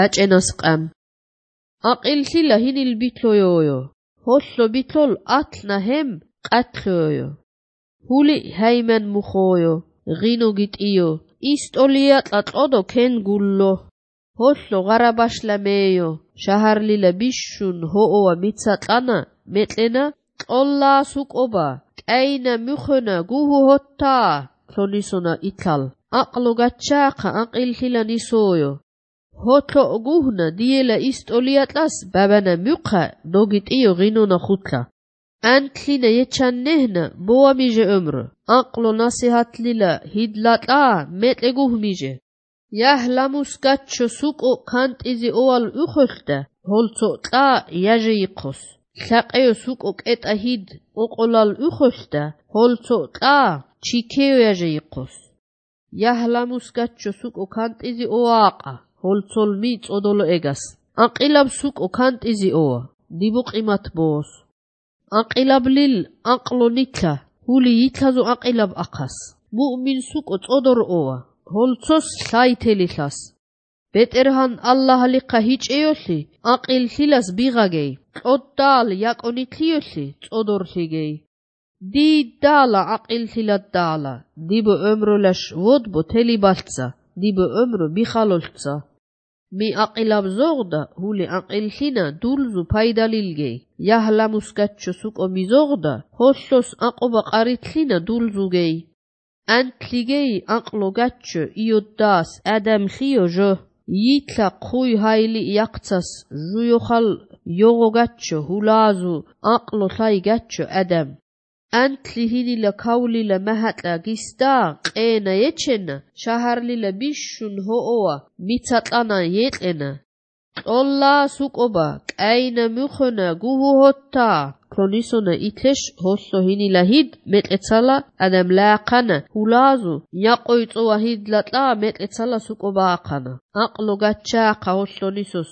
აჭენას ყამ აყილთილა ჰინილ ბითლოიოიო ჰოლლო ბითლოლ ათნა ჰემ ყათლოიო ჰული ჰაიმან მუხოიო ღინო გიტიო ისტოლია ტატოდო ქენ გულლო ჰოლლო ღარაბაშლა მეიო შაჰარლილა ბიშშუნ ჰოოა მიცატანა მეტლენა ყოლლა სუკობა კაინა მუხონა გუჰუ ჰოთა ქლონისონა ითალ აყლო გაჩაყა აყილთილა ნისოიო ჰოთლო გუჰნა დიელა ისტოლიატლას ბაბანა მუხა ნოგიტიო ღინონა ხუთლა ანთლინა ეჩანნეჰნა ბოამიჟე ըმრ აყლო ნასიჰათლილა ჰიდლატა მეტე გუჰმიჟე яхламус гаччо суко кантизи овал ухохда холцо тла яже иқос лақео суко кета хид оқолал ухохда холцо тла чикео яже иқос яхламус гаччо суко кантизи оақа холцол ми წოდოლო ეგას აყილაბ სუკო კანტიზი ოა დიბუყიმათ ბოს აყილაბ ლილ აყლო ნითა ჰული ითაზო აყილაბ ახას მუ'მინ სუკო წოდორ ოა holcos laytelilas beterhan Allah liqa hiceyosi aqil hilas bigagey qoddal yakonitliyosi tsodorligey di dala aqil hilat dala dibo ömrolash vodbo telibaltsa dibo ömro bixaloltsa mi aqilab zogda huli aqil hina dulzu paydalilgey yahlamus gachcho suko mizogda hollos aqoba qaritlina dulzugey Antligey aqlo gachcho ioddas adam khiyojo yitla khuy hayli yaqtsas juyokhal yogo gachcho hulazu aqlo lay gachcho adam antli hinila kawlila mahatla gista qena yechena shaharlila bishun hooa mitsatlana yetlena qolla suqoba qayna mukhona guhu hotta ქლონისონა ითლეშ ჰოლლო ჰინილა ჰიდ მეტეცალა ადამ ლაყანა ჰულაზუ იაყოიწოა ჰიდლატლა მეტეცალა სუკობა აყანა აყლო გაჩაყა ჰოლლონისოს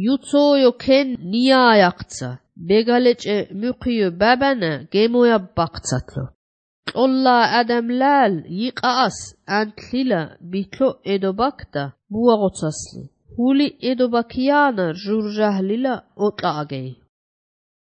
იუცოიო ქენ ნიაიაყცა ბეგალეჭე მუხიო ბაბანა გემოია ბაყცათლო ყოლლა ადამ ლალ იყაას ანთლილა ბითლო ედობაკდა ბუაღოცასლი ჰული ედობაკიანა ჟურჟაჰლილა ოტაგეი